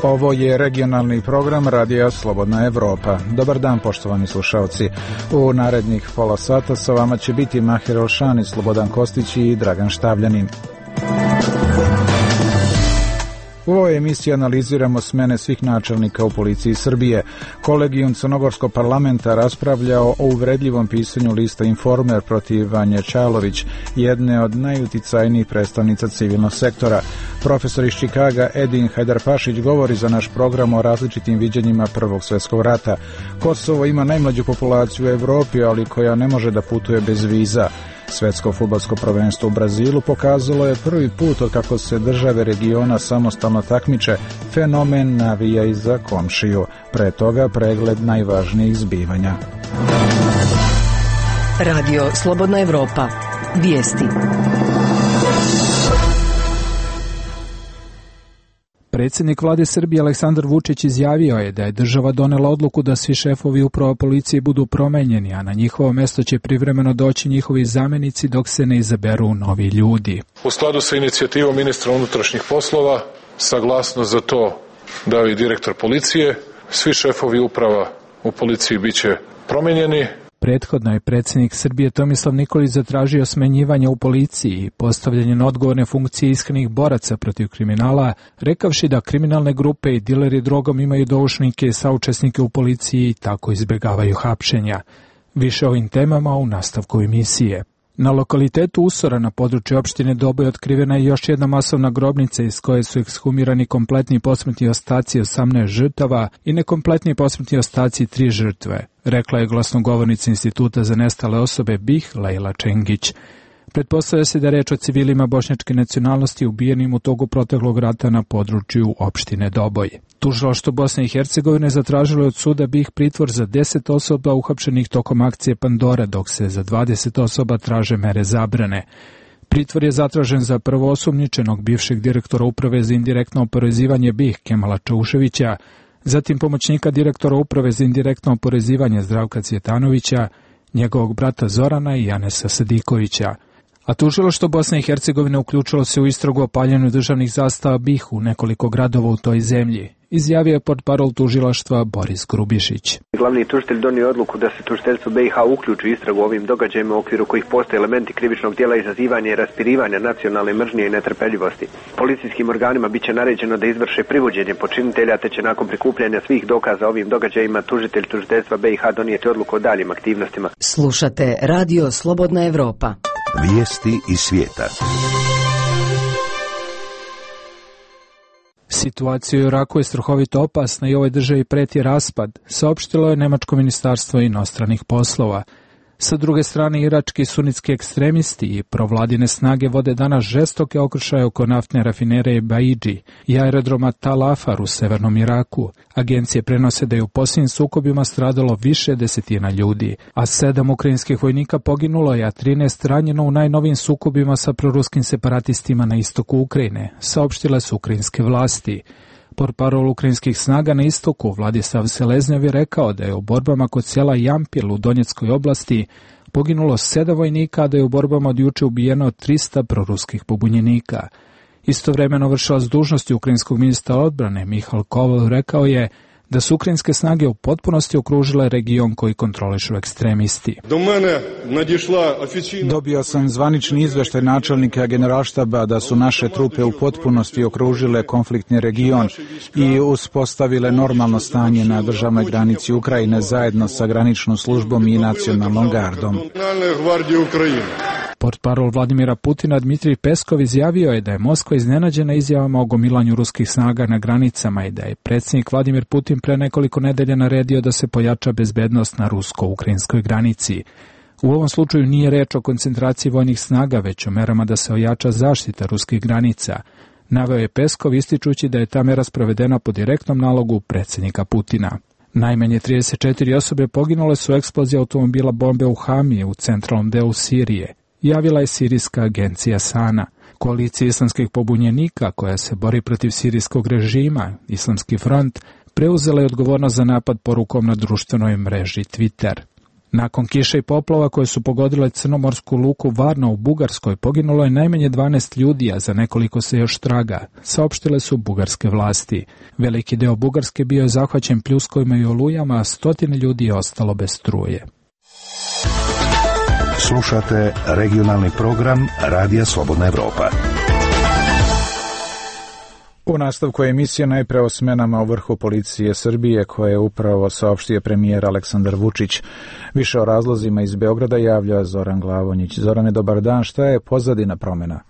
Ovo je regionalni program Radija Slobodna Evropa. Dobar dan, poštovani slušalci. U narednih pola sata sa vama će biti Mahir Elšani, Slobodan Kostić i Dragan Štavljanin. U ovoj emisiji analiziramo smene svih načelnika u policiji Srbije. Kolegijum Crnogorskog parlamenta raspravljao o uvredljivom pisanju lista Informer protiv Vanje Čalović, jedne od najuticajnijih predstavnica civilnog sektora. Profesor iz Čikaga Edin Hajdarpašić govori za naš program o različitim viđenjima Prvog svjetskog rata. Kosovo ima najmlađu populaciju u Evropi, ali koja ne može da putuje bez viza. Svetsko fudbalsko prvenstvo u Brazilu pokazalo je prvi put od kako se države regiona samostalno takmiče, fenomen navija i za komšiju. Pre toga pregled najvažnijih zbivanja. Radio Slobodna Evropa. Vijesti. Predsjednik vlade Srbije Aleksandar Vučić izjavio je da je država donela odluku da svi šefovi uprava policije budu promenjeni, a na njihovo mesto će privremeno doći njihovi zamjenici dok se ne izaberu novi ljudi. U skladu sa inicijativom ministra unutrašnjih poslova, saglasnost za to dao i direktor policije, svi šefovi uprava u policiji biće promenjeni. Prethodno je predsjednik Srbije Tomislav Nikolić zatražio smenjivanje u policiji i postavljanje na odgovorne funkcije iskrenih boraca protiv kriminala, rekavši da kriminalne grupe i dileri drogom imaju doušnike i saučesnike u policiji i tako izbjegavaju hapšenja. Više o ovim temama u nastavku emisije. Na lokalitetu Usora na području opštine Doboj otkrivena je još jedna masovna grobnica iz koje su ekshumirani kompletni posmrtni ostaci 18 žrtava i nekompletni posmrtni ostaci 3 žrtve, rekla je glasnogovornica Instituta za nestale osobe BiH Lejla Čengić. Pretpostavlja se da je reč o civilima bošnjačke nacionalnosti ubijenim u toku proteklog rata na području opštine Doboj. Tužilaštvo Bosne i Hercegovine zatražilo je od suda BiH pritvor za 10 osoba uhapšenih tokom akcije Pandora, dok se za 20 osoba traže mere zabrane. Pritvor je zatražen za prvoosumnjičenog bivšeg direktora Uprave za indirektno oporezivanje BiH Kemala Čauševića, zatim pomoćnika direktora Uprave za indirektno oporezivanje Zdravka Cvjetanovića, njegovog brata Zorana i Janesa Sadikovića. A tužilaštvo Bosne i Hercegovine uključilo se u istragu o paljenju državnih zastava BiH u nekoliko gradova u toj zemlji, izjavio je portparol tužilaštva Boris Grubišić. Glavni tužitelj donio odluku da se tužiteljstvo BiH uključi u istragu ovim događajima u okviru kojih postoje elementi krivičnog djela izazivanja i raspirivanja nacionalne mržnje i netrpeljivosti. Policijskim organima biće naređeno da izvrše privođenje počinitelja, te će nakon prikupljanja svih dokaza ovim događajima tužitelj tužiteljstva BiH donijeti odluku o daljim aktivnostima. Slušate Radio Slobodna Evropa. Vijesti iz svijeta. Situacija u Iraku je strahovito opasna i ovoj državi preti raspad, saopštilo je Nemačko ministarstvo inostranih poslova. Sa druge strane, irački sunitski ekstremisti i provladine snage vode danas žestoke okršaje oko naftne rafinerije Baidži i aerodroma Tal Afar u severnom Iraku. Agencije prenose da je u posljednjim sukobima stradalo više desetina ljudi, a 7 ukrajinskih vojnika poginulo je, a 13 ranjeno u najnovijim sukobima sa proruskim separatistima na istoku Ukrajine, saopštile su ukrajinske vlasti. Portparol ukrajinskih snaga na istoku Vladislav Seleznjev je rekao da je u borbama kod sela Jampil u Donjeckoj oblasti poginulo 7 vojnika, a da je u borbama od juče ubijeno 300 proruskih pobunjenika. Istovremeno vršilac dužnosti ukrajinskog ministra odbrane Mihail Koval rekao je da su ukrajinske snage u potpunosti okružile region koji kontrolišu ekstremisti. Dobio sam zvanični izveštaj načelnika generalštaba da su naše trupe u potpunosti okružile konfliktni region i uspostavile normalno stanje na državnoj granici Ukrajine zajedno sa graničnom službom i nacionalnom gardom. Portparol Vladimira Putina Dmitrij Peskov izjavio je da je Moskva iznenađena izjavama o gomilanju ruskih snaga na granicama i da je predsjednik Vladimir Putin pre nekoliko nedelja naredio da se pojača bezbednost na rusko-ukrajinskoj granici. U ovom slučaju nije reč o koncentraciji vojnih snaga, već o merama da se ojača zaštita ruskih granica. Naveo je Peskov ističući da je ta mera sprovedena po direktnom nalogu predsjednika Putina. Najmanje 34 osobe poginule su u eksploziji automobila bombe u Hamije u centralnom delu Sirije, javila je sirijska agencija Sana. Koalicija islamskih pobunjenika koja se bori protiv sirijskog režima, Islamski front, preuzela je odgovornost za napad porukom na društvenoj mreži Twitter. Nakon kiše i poplava koje su pogodile crnomorsku luku Varna u Bugarskoj, poginulo je najmanje 12 ljudi, a za nekoliko se još traga, saopštile su bugarske vlasti. Veliki deo Bugarske bio je zahvaćen pljuskovima i olujama, a stotine ljudi je ostalo bez struje. Slušate regionalni program Radija Slobodna Evropa. U nastavku emisije najpre o smenama u vrhu policije Srbije koje je upravo saopštio premijer Aleksandar Vučić. Više o razlozima iz Beograda javlja Zoran Glavonjić. Zorane, dobar dan. Šta je pozadina promjena?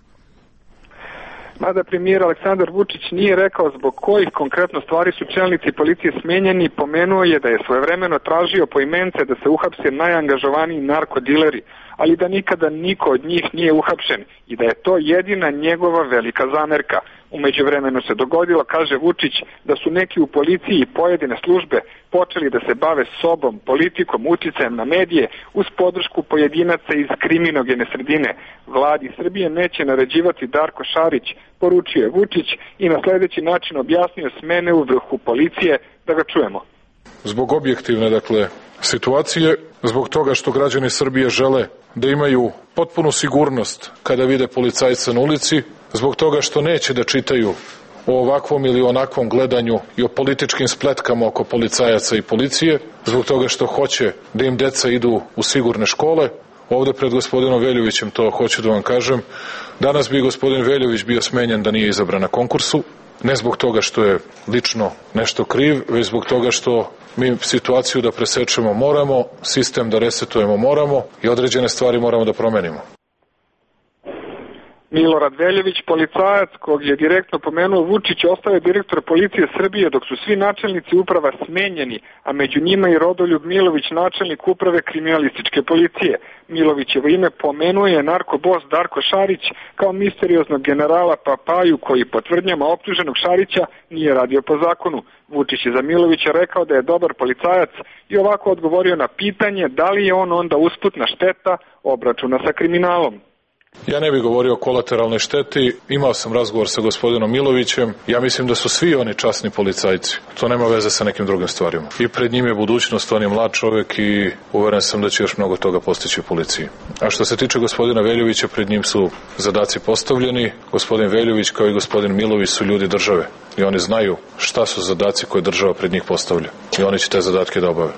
Mada premijer Aleksandar Vučić nije rekao zbog kojih konkretno stvari su čelnici policije smenjeni, pomenuo je da je svojevremeno tražio poimence da se uhapse najangažovaniji narkodileri, ali da nikada niko od njih nije uhapšen i da je to jedina njegova velika zamerka. U međuvremenu se dogodilo, kaže Vučić, da su neki u policiji i pojedine službe počeli da se bave sobom, politikom, uticajem na medije uz podršku pojedinaca iz kriminogene sredine. Vladi Srbije neće naređivati Darko Šarić, poručio je Vučić i na sljedeći način objasnio smene u vrhu policije, da ga čujemo. Zbog objektivne, situacije, zbog toga što građani Srbije žele da imaju potpunu sigurnost kada vide policajca na ulici, zbog toga što neće da čitaju o ovakvom ili onakvom gledanju i o političkim spletkama oko policajaca i policije, zbog toga što hoće da im deca idu u sigurne škole. Ovde pred gospodinom Veljovićem to hoću da vam kažem. Danas bi gospodin Veljović bio smenjen da nije izabran na konkursu. Ne zbog toga što je lično nešto kriv, već zbog toga što mi situaciju da presečemo moramo, sistem da resetujemo moramo i određene stvari moramo da promenimo. Milorad Veljović, policajac kog je direktno pomenuo Vučić, ostao je direktor policije Srbije dok su svi načelnici uprava smenjeni, a među njima i Rodoljub Milović, načelnik uprave kriminalističke policije. Milovićevo ime pomenuo je narkobos Darko Šarić kao misterioznog generala Papaju koji po tvrdnjama optuženog Šarića nije radio po zakonu. Vučić je za Milovića rekao da je dobar policajac i ovako odgovorio na pitanje da li je on onda usputna šteta obračuna sa kriminalom. Ja ne bih govorio o kolateralnoj šteti, imao sam razgovor sa gospodinom Milovićem, ja mislim da su svi oni časni policajci, to nema veze sa nekim drugim stvarima. I pred njim je budućnost, on je mlad čovjek i uveren sam da će još mnogo toga postići u policiji. A što se tiče gospodina Veljovića, pred njim su zadaci postavljeni, gospodin Veljović kao i gospodin Milović su ljudi države i oni znaju šta su zadaci koje država pred njih postavlja i oni će te zadatke da obave.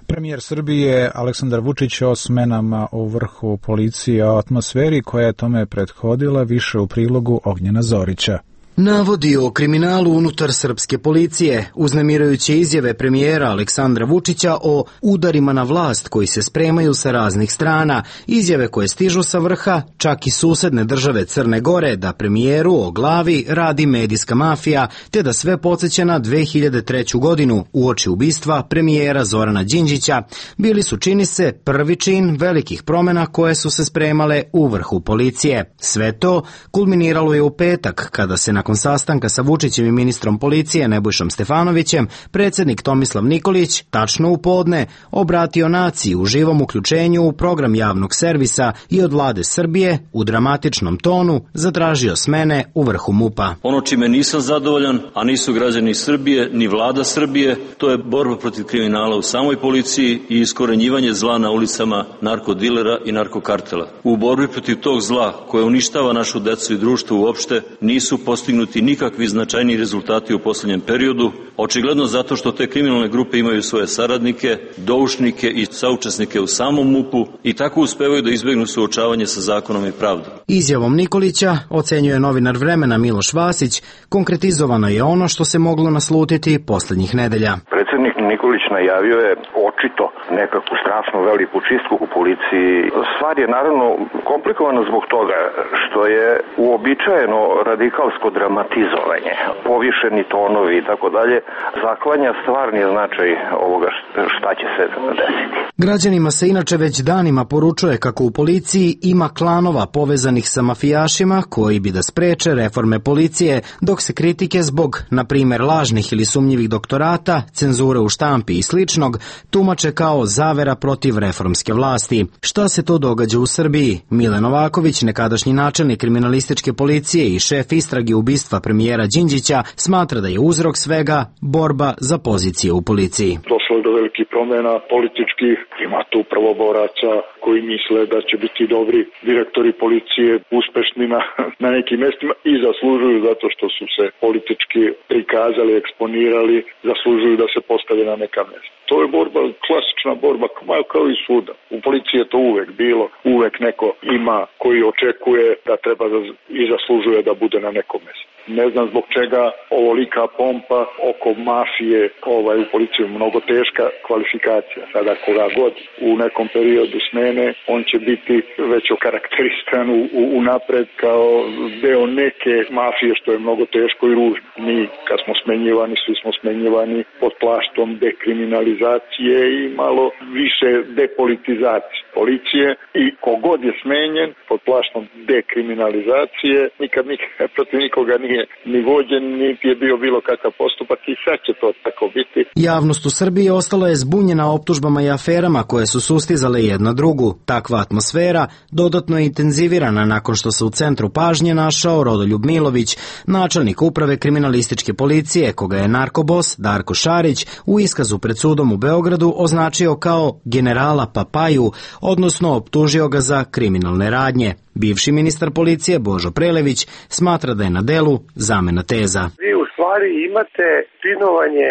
Premijer Srbije Aleksandar Vučić o smenama u vrhu policije, o atmosferi koja je tome prethodila, više u prilogu Ognjena Zorića. Navodi o kriminalu unutar srpske policije, uznemirujuće izjave premijera Aleksandra Vučića o udarima na vlast koji se spremaju sa raznih strana, izjave koje stižu sa vrha, čak i susedne države Crne Gore, da premijeru o glavi radi medijska mafija, te da sve podsjeća na 2003. godinu uoči ubistva premijera Zorana Đinđića, bili su, čini se, prvi čin velikih promjena koje su se spremale u vrhu policije. Sve to kulminiralo je u petak, kada se nakon sastanka sa Vučićem i ministrom policije Nebojšom Stefanovićem, predsjednik Tomislav Nikolić, tačno u podne, obratio naciji u živom uključenju u program javnog servisa i od vlade Srbije u dramatičnom tonu zatražio smene u vrhu MUP-a. Ono čime nisam zadovoljan, a nisu građani Srbije ni vlada Srbije, to je borba protiv kriminala u samoj policiji i iskorenjivanje zla na ulicama narkodilera i narkokartela. U borbi protiv tog zla koje uništava našu decu i društvo uopšte nisu postignuti nikakvi značajni rezultati u posljednjem periodu, očigledno zato što te kriminalne grupe imaju svoje saradnike, doušnike i saučesnike u samom MUP-u i tako uspevaju da izbegnu suočavanje sa zakonom i pravdom. Izjavom Nikolića, ocenjuje novinar Vremena Miloš Vasić, konkretizovano je ono što se moglo naslutiti posljednjih nedelja. Predsjednik Nikolić najavio je očito nekakvu strašnu veliku čistku u policiji. Stvar je naravno komplikovana zbog toga što je uobičajeno radikalsko dramatizovanje, povišeni tonovi i tako dalje, zaklanja stvarni značaj ovoga šta će se desiti. Građanima se inače već danima poručuje kako u policiji ima klanova povezanih sa mafijašima koji bi da spreče reforme policije, dok se kritike zbog, na primjer, lažnih ili sumnjivih doktorata, cenzure u štampi i sličnog, tumače kao zavera protiv reformske vlasti. Šta se to događa u Srbiji? Mile Novaković, nekadašnji načelnik kriminalističke policije i šef istrage ubistva premijera Đinđića, smatra da je uzrok svega borba za pozicije u policiji. Došlo došlo je do velikih promjena političkih. Ima tu prvoboraca koji misle da će biti dobri direktori policije, uspešni na nekim mjestima i zaslužuju zato što su se politički prikazali, eksponirali, zaslužuju da se postave na neka mjesta. To je borba, klasična borba, kao i svuda. U policiji je to uvek bilo, uvek neko ima koji očekuje da treba i zaslužuje da bude na nekom mjestu. Ne znam zbog čega ovolika pompa oko mafije u policiji, mnogo teška kvalifikacija. Sada koga god u nekom periodu smene, on će biti već okarakteristikan unapred kao deo neke mafije, što je mnogo teško i ružno. Mi kad smo smenjivani, svi smo smenjivani pod plaštom dekriminalizacije i malo više depolitizacije policije i kogod je smenjen pod plaštom dekriminalizacije, nikad protiv nikoga nije ni vođen, niti je bio bilo kakav postupak i sad će to tako biti. Javnost u Srbiji ostala je zbunjena optužbama i aferama koje su sustizale jedna drugu. Takva atmosfera dodatno je intenzivirana nakon što se u centru pažnje našao Rodoljub Milović, načelnik uprave kriminalističke policije, koga je narkobos Darko Šarić u iskazu pred sudom u Beogradu označio kao generala Papaju, odnosno optužio ga za kriminalne radnje. Bivši ministar policije Božo Prelević smatra da je na delu zamena teza. Vi u stvari imate spinovanje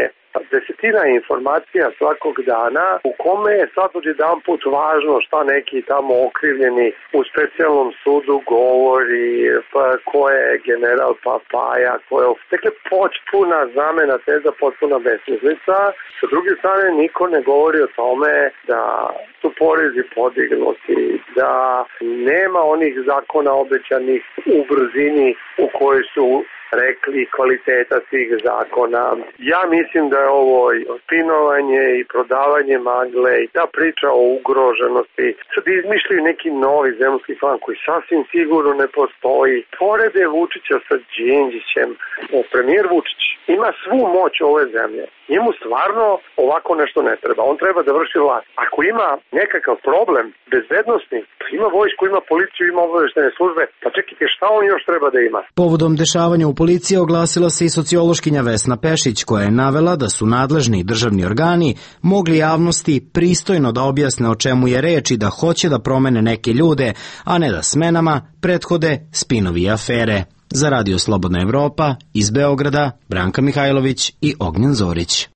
desetina informacija svakog dana u kome je sad odjedan put važno šta neki tamo okrivljeni u specijalnom sudu govori, pa ko je general Papaja, ko je... Dakle, potpuna zamena teza, potpuna besmislica. Sa druge strane, niko ne govori o tome da su porezi podignuti, da nema onih zakona obećanih u brzini u kojoj su rekli kvaliteta tih zakona. Ja mislim da je ovo spinovanje i prodavanje magle i ta priča o ugroženosti. Sad izmišljaju neki novi zemljski klan koji sasvim sigurno ne postoji. Porede Vučića sa Đinđićem, premijer Vučić ima svu moć ove zemlje. Njemu stvarno ovako nešto ne treba. On treba da vrši vlast. Ako ima nekakav problem bezbednosni, pa ima vojsku, ima policiju, ima obaveštajne službe, pa čekajte šta on još treba da ima. Povodom dešavanja u policiji oglasila se i sociološkinja Vesna Pešić, koja je navela da su nadležni državni organi mogli javnosti pristojno da objasne o čemu je reč i da hoće da promene neke ljude, a ne da smenama prethode spinovi i afere. Za Radio Slobodna Evropa, iz Beograda, Branka Mihajlović i Ognjen Zorić.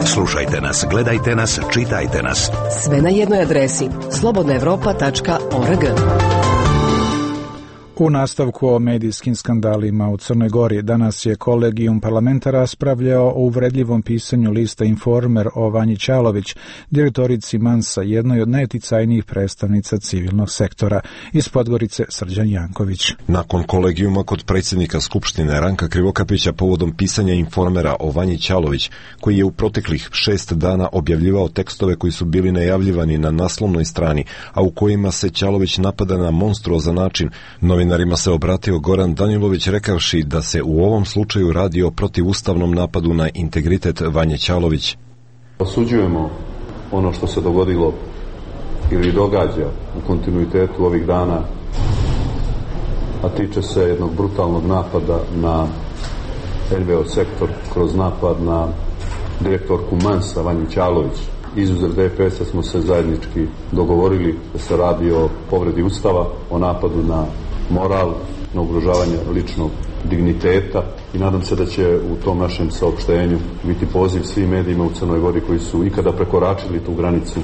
Slušajte nas, gledajte nas, čitajte nas. Sve na jednoj adresi slobodnaevropa.org. U nastavku o medijskim skandalima u Crnoj Gori danas je kolegijum parlamenta raspravljao o uvredljivom pisanju lista Informer o Vanji Ćalović, direktorici Mansa, jednoj od najuticajnijih predstavnica civilnog sektora. Iz Podgorice Srđan Janković. Nakon kolegijuma kod predsjednika Skupštine Ranka Krivokapića povodom pisanja Informera o Vanji Ćalović, koji je u proteklih 6 dana objavljivao tekstove koji su bili najavljivani na naslovnoj strani, a u kojima se Ćalović napada na monstruozan način, novinarima se obratio Goran Danilović rekavši da se u ovom slučaju radi o protivustavnom napadu na integritet Vanje Ćalović. Osuđujemo ono što se dogodilo ili događa u kontinuitetu ovih dana, a tiče se jednog brutalnog napada na NVO sektor kroz napad na direktorku Mansa Vanju Ćalović. Izuzev DPS-a smo se zajednički dogovorili da se radi o povredi Ustava, o napadu na moral, na ugrožavanje ličnog digniteta i nadam se da će u tom našem saopštenju biti poziv svim medijima u Crnoj Gori koji su ikada prekoračili tu granicu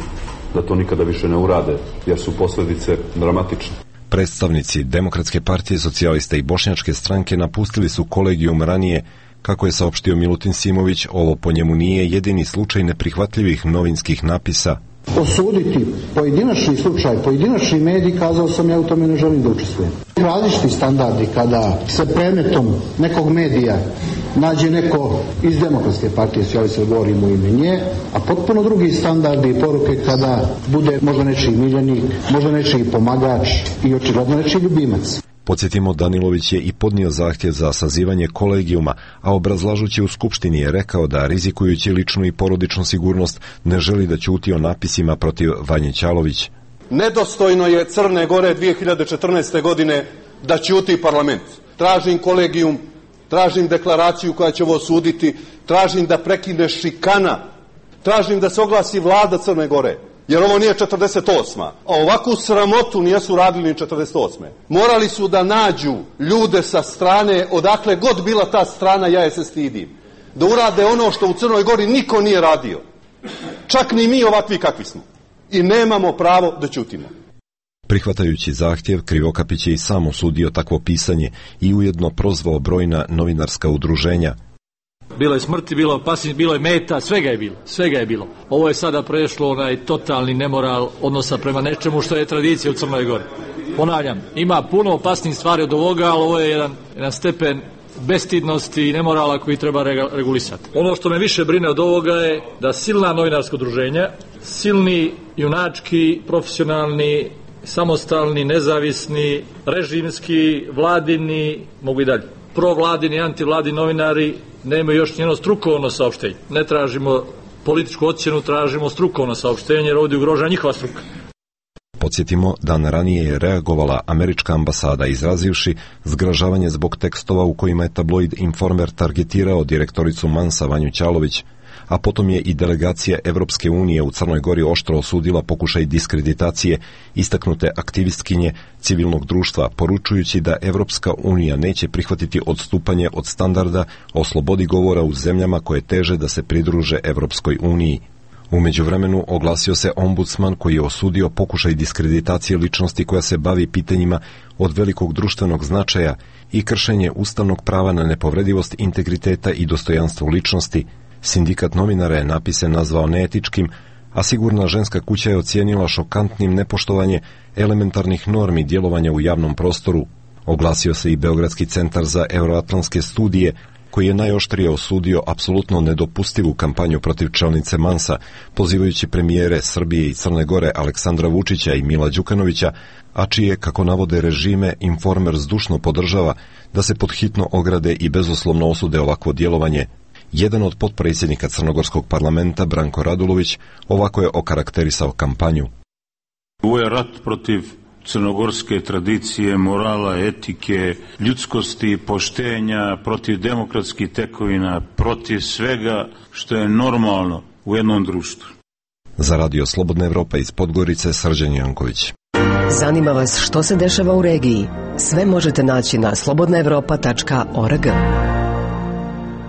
da to nikada više ne urade, jer su posljedice dramatične. Predstavnici Demokratske partije, Socijalista i Bošnjačke stranke napustili su kolegijum ranije. Kako je saopštio Milutin Simović, ovo po njemu nije jedini slučaj neprihvatljivih novinskih napisa. Osuditi pojedinačni slučaj, pojedinačni medij, kazao sam, ja u tome ne želim da učestvujem. Različiti standardi kada se predmetom nekog medija nađe neko iz Demokratske partije, Socijalista, govorim u ime nje, a potpuno drugi standardi i poruke kada bude možda nečiji miljenik, možda nečiji pomagač i očigledno nečiji ljubimac. Podsjetimo, Danilović je i podnio zahtjev za sazivanje kolegijuma, a obrazlažući u Skupštini je rekao da, rizikujući ličnu i porodičnu sigurnost, ne želi da ćuti o napisima protiv Vanje Ćalović. Nedostojno je Crne Gore 2014. godine da ćuti parlament. Tražim kolegijum tražim deklaraciju koja će ovo osuditi, tražim da prekine šikana, tražim da se oglasi vlada Crne Gore, jer ovo nije 48. A ovakvu sramotu nisu radili ni 48. Morali su da nađu ljude sa strane, odakle god bila ta strana, ja je se stidim, da urade ono što u Crnoj Gori niko nije radio. Čak ni mi ovakvi kakvi smo. I nemamo pravo da ćutimo. Prihvatajući zahtjev, Krivokapić je i sam osudio takvo pisanje i ujedno prozvao brojna novinarska udruženja. Bilo je smrti, bilo je opasnosti, bilo je meta, svega je bilo. Ovo je sada prešlo onaj totalni nemoral odnosa prema nečemu što je tradicija u Crnoj Gori. Ponavljam, ima puno opasnih stvari od ovoga, ali ovo je jedan stepen bestidnosti i nemorala koji treba regulisati. Ono što me više brine od ovoga je da silna novinarska udruženja, silni, junački, profesionalni, samostalni, nezavisni, režimski, vladini, mogu i dalje, provladini, antivladini novinari nemaju još njeno strukovno saopštenje. Ne tražimo političku ocjenu, tražimo strukovno saopštenje jer ovdje ugrožava njihova struka. Podsjetimo, dan ranije je reagovala američka ambasada izrazivši zgražavanje zbog tekstova u kojima je tabloid Informer targetirao direktoricu Mansa Vanju Ćalović, a potom je i delegacija Evropske unije u Crnoj Gori oštro osudila pokušaj diskreditacije istaknute aktivistkinje civilnog društva, poručujući da Evropska unija neće prihvatiti odstupanje od standarda o slobodi govora u zemljama koje teže da se pridruže Evropskoj uniji. U međuvremenu oglasio se ombudsman koji je osudio pokušaj diskreditacije ličnosti koja se bavi pitanjima od velikog društvenog značaja i kršenje ustavnog prava na nepovredivost integriteta i dostojanstvo ličnosti. Sindikat novinara je napise nazvao neetičkim, a Sigurna ženska kuća je ocijenila šokantnim nepoštovanje elementarnih normi djelovanja u javnom prostoru. Oglasio se i Beogradski centar za euroatlantske studije, koji je najoštrije osudio apsolutno nedopustivu kampanju protiv čelnice Mansa, pozivajući premijere Srbije i Crne Gore Aleksandra Vučića i Mila Đukanovića, a čije, kako navode režime, Informer zdušno podržava da se podhitno ograde i bezuslovno osude ovakvo djelovanje. Jedan od potpredsjednika Crnogorskog parlamenta, Branko Radulović, ovako je okarakterisao kampanju. Ovo je rat protiv crnogorske tradicije, morala, etike, ljudskosti, poštenja, protiv demokratskih tekovina, protiv svega što je normalno u jednom društvu. Za Radio Slobodna Evropa iz Podgorice, Srđan Janković. Zanima vas što se dešava u regiji? Sve možete naći na slobodnaevropa.org.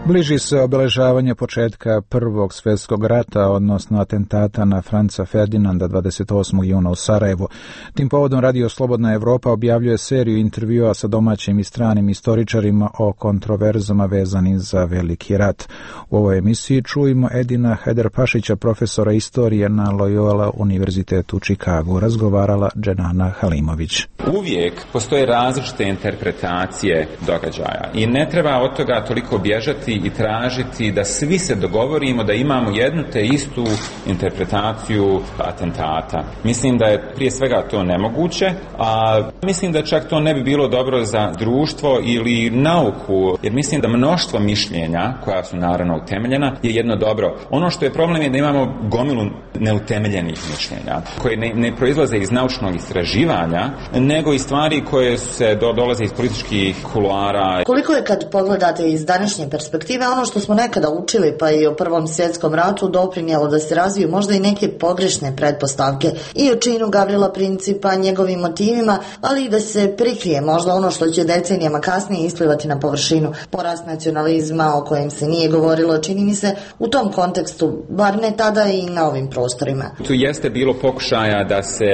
Bliži se obeležavanje početka Prvog svjetskog rata, odnosno atentata na Franca Ferdinanda 28. juna u Sarajevu. Tim povodom Radio Slobodna Evropa objavljuje seriju intervjua sa domaćim i stranim istoričarima o kontroverzama vezanim za Veliki rat. U ovoj emisiji čujemo Edina Hajdarpašića, profesora istorije na Loyola univerzitetu u Čikagu. Razgovarala Dženana Halimović. Uvijek postoje različite interpretacije događaja i ne treba od toga toliko bježati i tražiti da svi se dogovorimo da imamo jednu te istu interpretaciju atentata. Mislim da je prije svega to nemoguće, a mislim da čak to ne bi bilo dobro za društvo ili nauku, jer mislim da mnoštvo mišljenja, koja su naravno utemeljena, je jedno dobro. Ono što je problem je da imamo gomilu neutemeljenih mišljenja, koje ne proizlaze iz naučnog istraživanja, nego i stvari koje se dolaze iz političkih kuloara. Koliko je, kad pogledate iz današnje perspektive, ono što smo nekada učili, pa i o Prvom svjetskom ratu, doprinijelo da se razviju možda i neke pogrešne pretpostavke i o činu Gavrila Principa, njegovim motivima, ali i da se prikrije možda ono što će decenijama kasnije isplivati na površinu. Porast nacionalizma o kojem se nije govorilo, čini mi se u tom kontekstu, bar ne tada i na ovim prostorima. Tu jeste bilo pokušaja da se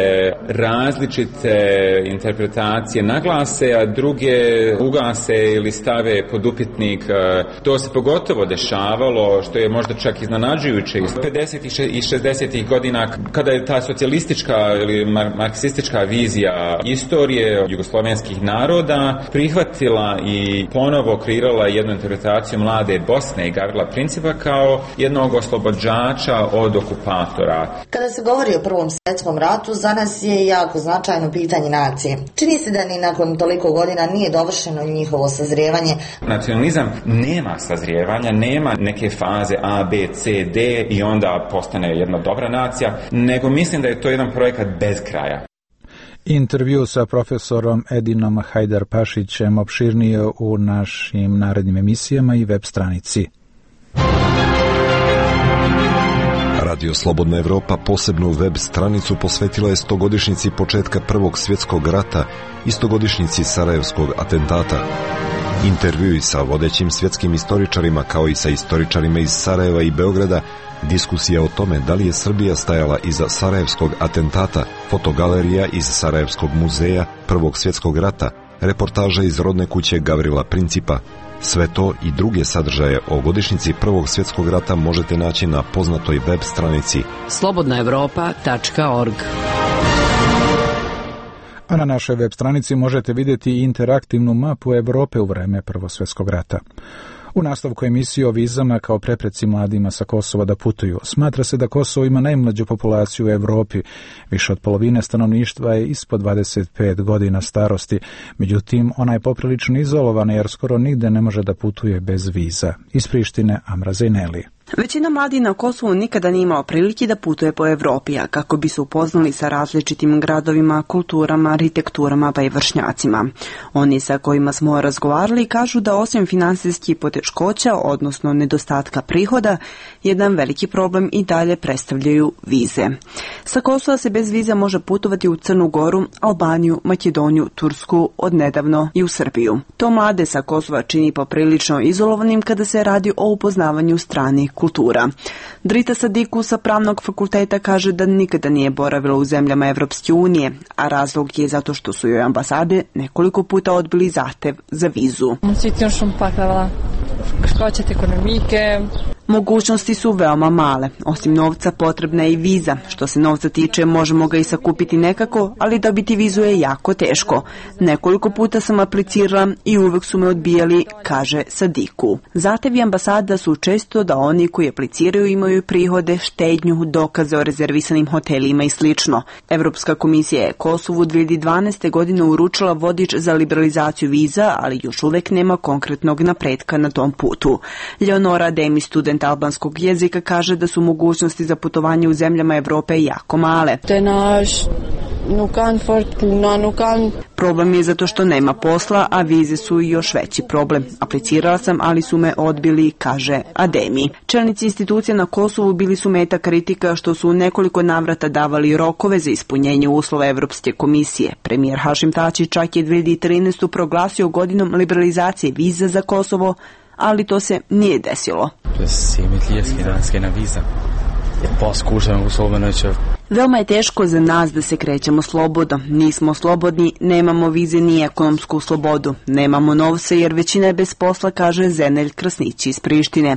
različite interpretacije naglase, a druge ugase ili stave pod upitnik. To se pogotovo dešavalo, što je možda čak iznenađujuće iz 50. i 60. godina, kada je ta socijalistička ili marksistička vizija istorije jugoslovenskih naroda prihvatila i ponovo kreirala jednu interpretaciju mlade Bosne i Gavrila Principa kao jednog oslobođača od okupatora. Kada se govori o Prvom svjetskom ratu, za nas je jako značajno pitanje nacije. Čini se da ni nakon toliko godina nije dovršeno njihovo sazrijevanje. Nacionalizam nema sazrijevanja, nema neke faze A, B, C, D i onda postane jedna dobra nacija, nego mislim da je to jedan projekat bez kraja. Intervju sa profesorom Edinom Hajdar-Pašićem opširnije u našim narednim emisijama i web stranici. Radio Slobodna Evropa posebnu web stranicu posvetila je 100-godišnjici početka Prvog svjetskog rata i 100-godišnjici Sarajevskog atentata. Intervjui sa vodećim svjetskim istoričarima kao i sa istoričarima iz Sarajeva i Beograda, diskusija o tome da li je Srbija stajala iza Sarajevskog atentata, fotogalerija iz Sarajevskog muzeja Prvog svjetskog rata, reportaža iz rodne kuće Gavrila Principa. Sve to i druge sadržaje o godišnjici Prvog svjetskog rata možete naći na poznatoj web stranici slobodnaevropa.org. A na našoj web stranici možete vidjeti i interaktivnu mapu Evrope u vreme Prvog svjetskog rata. U nastavku emisije o vizama kao prepreci mladima sa Kosova da putuju. Smatra se da Kosovo ima najmlađu populaciju u Evropi. Više od polovine stanovništva je ispod 25 godina starosti. Međutim, ona je poprilično izolovana jer skoro nigde ne može da putuje bez viza. Iz Prištine, Amra Zejneli. Većina mladih na Kosovu nikada nije imao prilike da putuje po Evropi, a kako bi se upoznali sa različitim gradovima, kulturama, arhitekturama pa i vršnjacima. Oni sa kojima smo razgovarali kažu da osim finansijskih poteškoća, odnosno nedostatka prihoda, jedan veliki problem i dalje predstavljaju vize. Sa Kosova se bez viza može putovati u Crnu Goru, Albaniju, Makedoniju, Tursku, odnedavno i u Srbiju. To mlade sa Kosova čini poprilično izolovanim kada se radi o upoznavanju stranih kultura. Drita Sadiku sa pravnog fakulteta kaže da nikada nije boravila u zemljama Evropske unije, a razlog je zato što su joj ambasade nekoliko puta odbili zahtev za vizu. Mogućnosti su veoma male. Osim novca potrebna je i viza. Što se novca tiče, možemo ga i sakupiti nekako, ali dobiti vizu je jako teško. Nekoliko puta sam aplicirala i uvek su me odbijali, kaže Sadiku. Zahtevi ambasada su često da oni koji apliciraju imaju prihode, štednju, dokaze o rezervisanim hotelima i slično. Evropska komisija je Kosovu 2012. godine uručila vodič za liberalizaciju viza, ali još uvek nema konkretnog napretka na tom putu. Leonora Demi, student albanskog jezika, kaže da su mogućnosti za putovanje u zemljama Evrope jako male. Problem je zato što nema posla, a vize su još veći problem. Aplicirala sam, ali su me odbili, kaže Ademi. Čelnici institucija na Kosovu bili su meta kritika što su u nekoliko navrata davali rokove za ispunjenje uslova Evropske komisije. Premijer Hašim Tači čak je 2013. proglasio godinom liberalizacije viza za Kosovo, ali to se nije desilo. Veoma je teško za nas da se krećemo slobodno. Nismo slobodni, nemamo vize ni ekonomsku slobodu. Nemamo novca jer većina je bez posla, kaže Zenelj Krasnić iz Prištine.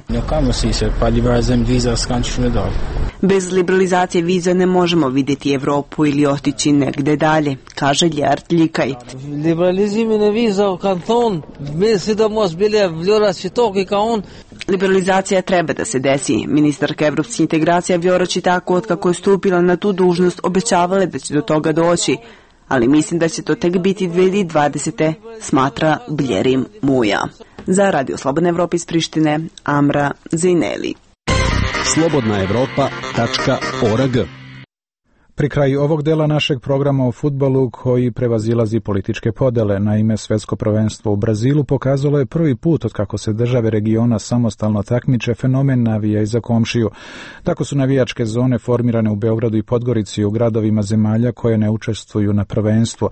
Bez liberalizacije viza ne možemo vidjeti Evropu ili otići negde dalje, kaže Ljart Ljikaj. Liberalizacija treba da se desi. Ministarka evropskih integracija Vjora Čitako, otkako je stupila na tu dužnost, obećavala da će do toga doći, ali mislim da će to tek biti 2020. smatra Bljerim Muja. Za Radio Slobodna Evropa iz Prištine, Amra Zejneli. slobodnaevropa.org. Pri kraju ovog dela našeg programa o fudbalu koji prevazilazi političke podele, naime svjetsko prvenstvo u Brazilu pokazalo je prvi put od kako se države regiona samostalno takmiče fenomen navijaj za komšiju. Tako su navijačke zone formirane u Beogradu i Podgorici u gradovima zemalja koje ne učestvuju na prvenstvu,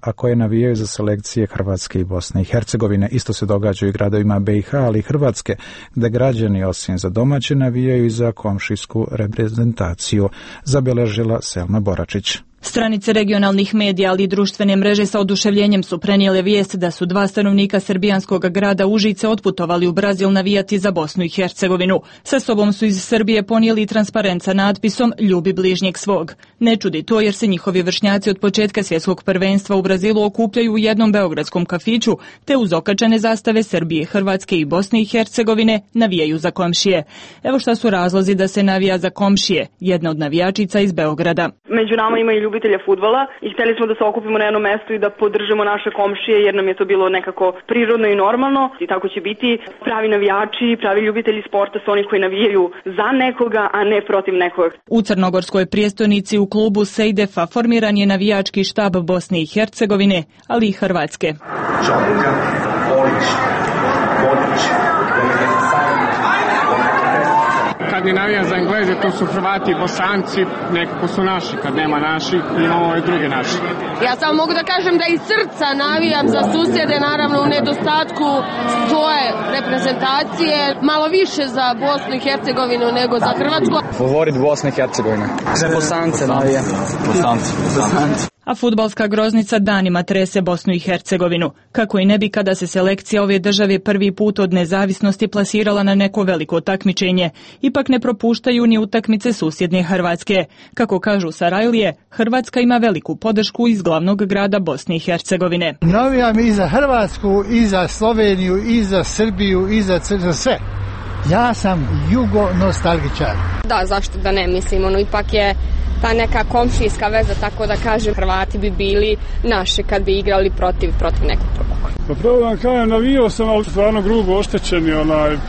a koje navijaju za selekcije Hrvatske i Bosne i Hercegovine. Isto se događa i gradovima BiH, ali i Hrvatske, gde građani osim za domaće navijaju i za komšijsku reprezentaciju. Zabeležila Selma Boračić. Stranice regionalnih medija, ali i društvene mreže sa oduševljenjem su prenijele vijest da su 2 stanovnika srbijanskog grada Užice otputovali u Brazil navijati za Bosnu i Hercegovinu. Sa sobom su iz Srbije ponijeli transparent sa natpisom "Ljubi bližnjeg svog". Ne čudi to jer se njihovi vršnjaci od početka svjetskog prvenstva u Brazilu okupljaju u jednom beogradskom kafiću, te uz okačene zastave Srbije, Hrvatske i Bosne i Hercegovine navijaju za komšije. Evo šta su razlozi da se navija za komšije, jedna od navijačica iz Beograda. Među nama ima i ljubitelja fudbala i hteli smo da se okupimo na jednom mestu i da podržimo naše komšije jer nam je to bilo nekako prirodno i normalno i tako će biti. Pravi navijači, pravi ljubitelji sporta su oni koji navijaju za nekoga, a ne protiv nekoga. U crnogorskoj prijestolnici u klubu Sejdefa formiran je navijački štab Bosne i Hercegovine, ali i Hrvatske. Čabuka, Polić, Bodić, kad ne navijam za Engleze, to su Hrvati i Bosanci, nekako su naši, kad nema naših, imamo ove druge naši. Ja samo mogu da kažem da iz srca navijam za susjede, naravno u nedostatku svoje reprezentacije, malo više za Bosnu i Hercegovinu nego za Hrvatsku. Favorit Bosne i Hercegovine. Za Bosance navijam. Bosanci. A fudbalska groznica danima trese Bosnu i Hercegovinu. Kako i ne bi kada se selekcija ove države prvi put od nezavisnosti plasirala na neko veliko takmičenje. Ipak ne propuštaju ni utakmice susjedne Hrvatske. Kako kažu Sarajlije, Hrvatska ima veliku podršku iz glavnog grada Bosne i Hercegovine. Navijam i za Hrvatsku, i za Sloveniju, i za Srbiju, i za sve. Ja sam jugo-nostalgičar. Da, zašto da ne, mislim, ipak je ta neka komšijska veza, tako da kažem, Hrvati bi bili naši kad bi igrali protiv nekog drugog. Pa pravo vam kažem, navijao sam, ali stvarno grubo oštećeni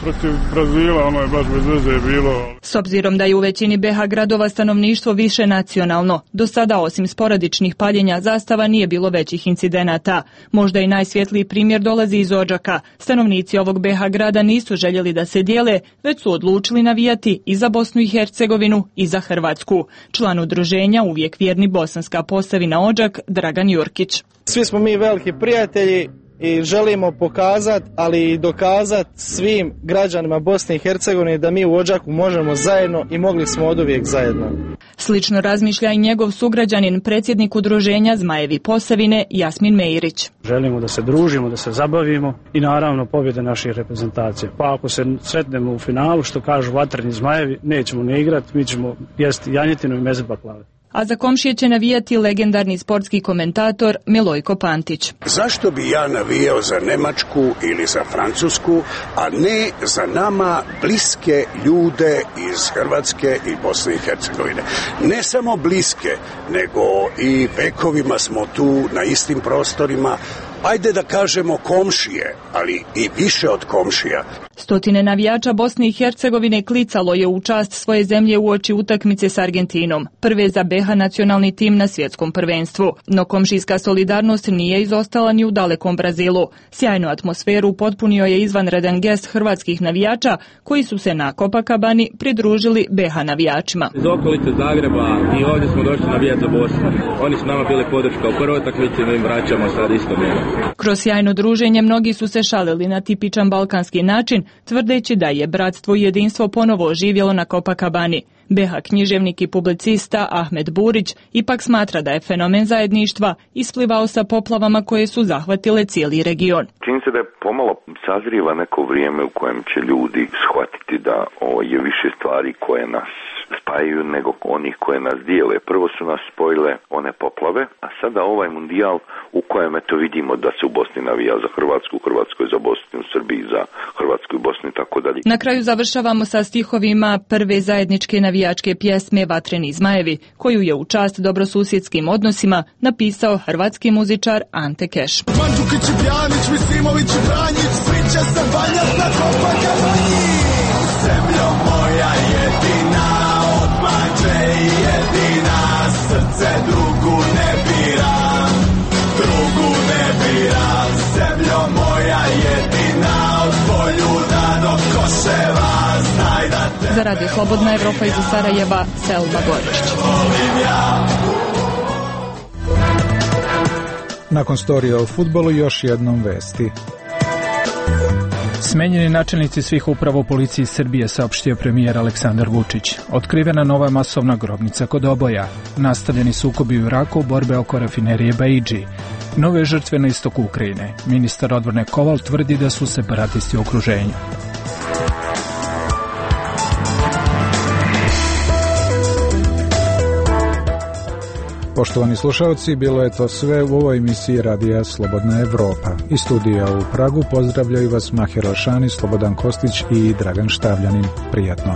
protiv Brazila, je baš bez veze bilo. S obzirom da je u većini BiH gradova stanovništvo više nacionalno, do sada osim sporadičnih paljenja zastava nije bilo većih incidenata. Možda i najsvjetliji primjer dolazi iz Odžaka. Stanovnici ovog BiH grada nisu željeli da se dijele, već su odlučili navijati i za Bosnu i Hercegovinu i za Hrvatsku. Član udruženja Uvijek vjerni Bosanska Posavina Odžak, Dragan Jurkić. Svi smo mi veliki prijatelji i želimo pokazati, ali i dokazati svim građanima Bosne i Hercegovine da mi u Odžaku možemo zajedno i mogli smo oduvijek zajedno. Slično razmišlja i njegov sugrađanin, predsjednik udruženja Zmajevi Posavine, Jasmin Mejrić. Želimo da se družimo, da se zabavimo i naravno pobjede naših reprezentacija. Pa ako se sretnemo u finalu, što kažu vatreni Zmajevi, nećemo ne igrati, mi ćemo jesti janjetinu i meze baklave. A za komšije će navijati legendarni sportski komentator Milojko Pantić. Zašto bi ja navijao za Nemačku ili za Francusku, a ne za nama bliske ljude iz Hrvatske i Bosne i Hercegovine? Ne samo bliske, nego i vekovima smo tu na istim prostorima. Ajde da kažemo komšije, ali i više od komšija. Stotine navijača Bosne i Hercegovine klicalo je u čast svoje zemlje uoči utakmice s Argentinom, prve za BiH nacionalni tim na svjetskom prvenstvu. No komšijska solidarnost nije izostala ni u dalekom Brazilu. Sjajnu atmosferu potpunio je izvanredan gest hrvatskih navijača koji su se na Copacabani pridružili BiH navijačima. Iz okolice Zagreba i ovdje smo došli navijati za Bosnu. Oni su nama bili podrška u prvoj utakmici, mi im vraćamo sad isto mjero. Kroz sjajno druženje mnogi su se šalili na tipičan balkanski način, tvrdeći da je bratstvo i jedinstvo ponovo oživjelo na Copacabani. BiH književnik i publicista Ahmed Burić ipak smatra da je fenomen zajedništva isplivao sa poplavama koje su zahvatile cijeli region. Čini se da je pomalo sazrijeva neko vrijeme u kojem će ljudi shvatiti da je više stvari koje nas spajaju nego onih koje nas dijele. Prvo su nas spojile one poplave, a sada ovaj mundijal u kojem eto vidimo da se u Bosni navija za Hrvatsku, u Hrvatskoj za Bosnu, u Srbiji za Hrvatsku i Bosnu i tako dalje. Na kraju završavamo sa stihovima prve zajedničke navijačke pjesme Vatreni Zmajevi, koju je u čast dobrosusjedskim odnosima napisao hrvatski muzičar Ante Keš. Mandžukić i Bjanić, Misimović i Branjić, svi će se valjati na Copacabani. Zemljo moja jedina, odmađe jedina, srce drugu ne biram, zemljo moja jedina, od Poljuda do Koševa, znaj da te... Za Radio Slobodna Evropa iz Sarajeva, Selma Goričić. Nakon storija o fudbalu još jednom vesti. Smenjeni načelnici svih uprava u policiji Srbije, saopštio premijer Aleksandar Vučić. Otkrivena nova masovna grobnica kod Oboja. Nastavljeni sukobi u Iraku, borbe oko rafinerije Baidži. Nove žrtve na istoku Ukrajine. Ministar odbrane Koval tvrdi da su separatisti u okruženju. Poštovani slušalci, bilo je to sve u ovoj emisiji Radija Slobodna Evropa. Iz studija u Pragu pozdravljaju vas Maher Alšani, Slobodan Kostić i Dragan Štavljanin. Prijatno.